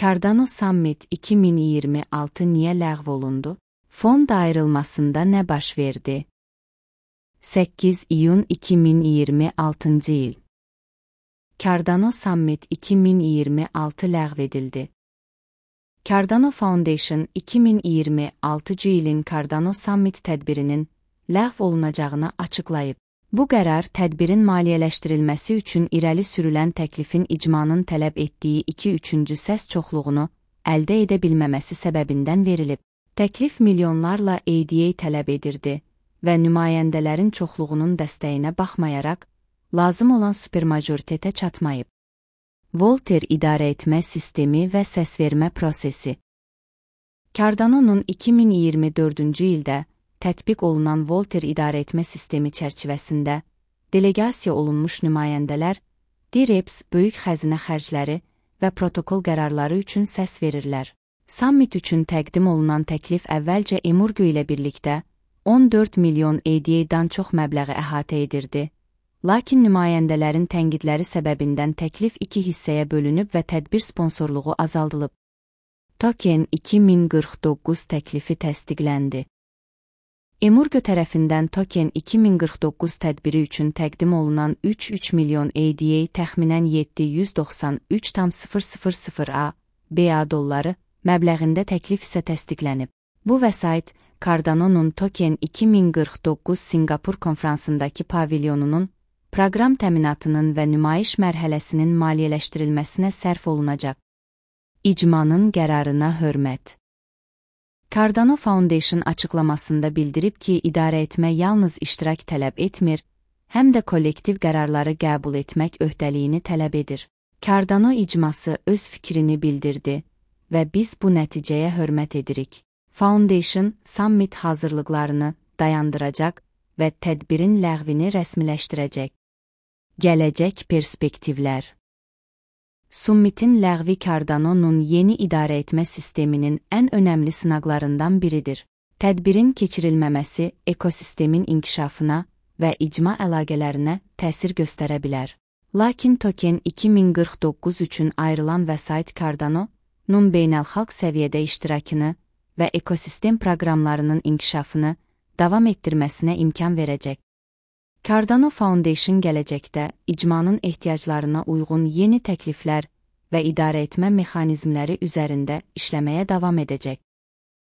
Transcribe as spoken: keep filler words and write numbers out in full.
Cardano Summit iki min iyirmi altı niyə ləğv olundu? Fond ayrılmasında nə baş verdi? səkkiz iyun iki min iyirmi altıncı il. Cardano Summit iki min iyirmi altı ləğv edildi. Cardano Foundation iki min iyirmi altıncı ilin Cardano Summit tədbirinin ləğv olunacağını açıqlayıb. Bu qərar tədbirin maliyyələşdirilməsi üçün irəli sürülən təklifin icmanın tələb etdiyi iki üçüncü səs çoxluğunu əldə edə bilməməsi səbəbindən verilib. Təklif milyonlarla A D A tələb edirdi və nümayəndələrin çoxluğunun dəstəyinə baxmayaraq, lazım olan supermajoritetə çatmayıb. Volter idarəetmə sistemi və səsvermə prosesi. Cardano'nun iki min iyirmi dördüncü ildə tətbiq olunan Volter idarəetmə sistemi çərçivəsində delegasiya olunmuş nümayəndələr D R E P S böyük xəzinə xərcləri və protokol qərarları üçün səs verirlər. Summit üçün təqdim olunan təklif əvvəlcə Emurgo ilə birlikdə on dörd milyon A D A'dan çox məbləği əhatə edirdi. Lakin nümayəndələrin tənqidləri səbəbindən təklif iki hissəyə bölünüb və tədbir sponsorluğu azaldılıb. Token iki min qırx doqquz təklifi təsdiqləndi. Emurgo tərəfindən Token iki min qırx doqquz tədbiri üçün təqdim olunan üç nöqtə üç milyon A D A təxminən yeddi yüz doxsan üç min A B A dolları məbləğində təklif isə təsdiqlənib. Bu vəsait Cardano'nun Token iki min qırx doqquz Sinqapur konfransındakı pavilyonunun proqram təminatının və nümayiş mərhələsinin maliyyələşdirilməsinə sərf olunacaq. İcmanın qərarına hörmət. Cardano Foundation açıqlamasında bildirib ki, idarəetmə yalnız iştirak tələb etmir, həm də kollektiv qərarları qəbul etmək öhdəliyini tələb edir. Cardano icması öz fikrini bildirdi və biz bu nəticəyə hörmət edirik. Foundation Summit hazırlıqlarını dayandıracaq və tədbirin ləğvini rəsmiləşdirəcək. Gələcək perspektivlər. Summitin ləğvi Cardano'nun yeni idarəetmə sisteminin ən önəmli sınaqlarından biridir. Tədbirin keçirilməməsi ekosistemin inkişafına və icma əlaqələrinə təsir göstərə bilər. Lakin Token iki min qırx doqquz üçün ayrılan vəsait Cardano'nun beynəlxalq səviyyədə iştirakını və ekosistem proqramlarının inkişafını davam etdirməsinə imkan verəcək. Cardano Foundation gələcəkdə icmanın ehtiyaclarına uyğun yeni təkliflər və idarəetmə mexanizmləri üzərində işləməyə davam edəcək.